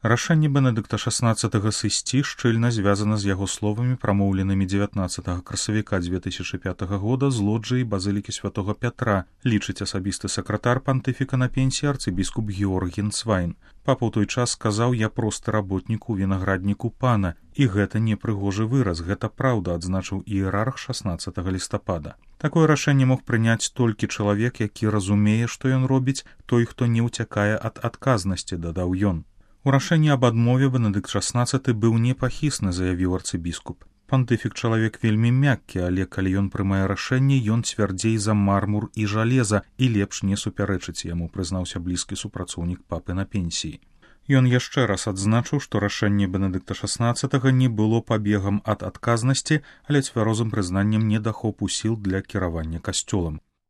Рашэнне Бенедыкта XVI сысці шчыльна звязана з яго словамі, прамоўленымі 19 красавіка 2005 года з лоджыі базылікі святого Пятра, лічыць асабісты сакратар пантыфіка на пенсіі арцыбіскуп Георгін Цвайн. Папа ў той час сказаў: «Я просты работнік у вінаградніку пана». І гэта не прыгожы выраз, гэта праўда, адзначыў іерарх 16 лістапада. Такое рашэнне мог прыняць толькі чалавек, які разумее, што ён робіць, той, хто не ўцякае ад адказнасці, дадаў ён. У рашэнні аб адмове Бенедыкт XVI быў непахісны, заявіў арцыбіскуп. Пантыфік чалавек вельмі мяккі, але калі ён прымае рашэнне, ён цвярдзей за мармур і жалеза і лепш не супярэчыць яму, прызнаўся блізкі супрацоўнік папы на пенсіі. Ён яшчэ раз адзначыў, што рашэнне Бенедыкта XVI не было пабегам ад адказнасці, але цвярозым прызнаннем недахопу сіл для кіравання касцёлам.